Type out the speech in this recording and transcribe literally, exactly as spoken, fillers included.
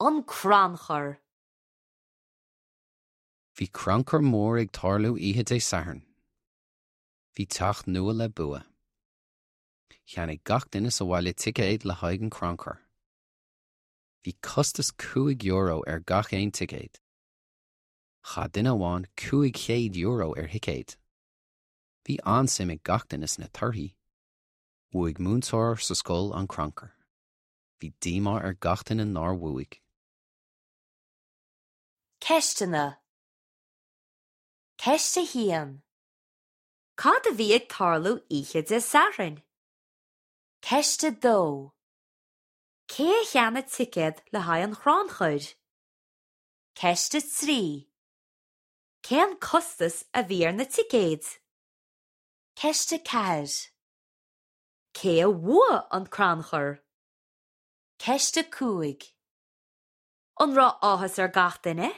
An crannchur. Bhí crannchur mór ag tarlú oíche Dé Sathairn. Bhí teach nua le bua. Cheannaigh gach duine sa bhaile ticéad le haghaidh an crannchur. Bhí costas cúig euro ar gach aon ticéad. Chaith duine amháin cúig chéad euro ar thicéad. Bhí an-suim ag gach duine sna torthaí. Bhuaigh múinteoir sa scoil an crannchur. Bhí díomá ar gach duine nár bhuaigh. Ceisteanna. Ceist a haon. Cad a bhí ag tarlú oíche Dé Sathairn? Ceist a dó. Cé a cheannaigh ticéad le haghaidh an chrannchuir? Ceist a trí. Cén costas a bhí ar na ticéid? Ceist a ceathair. Cé a bhuaigh an crannchur? Ceist a cúig. An raibh áthas ar gach duine?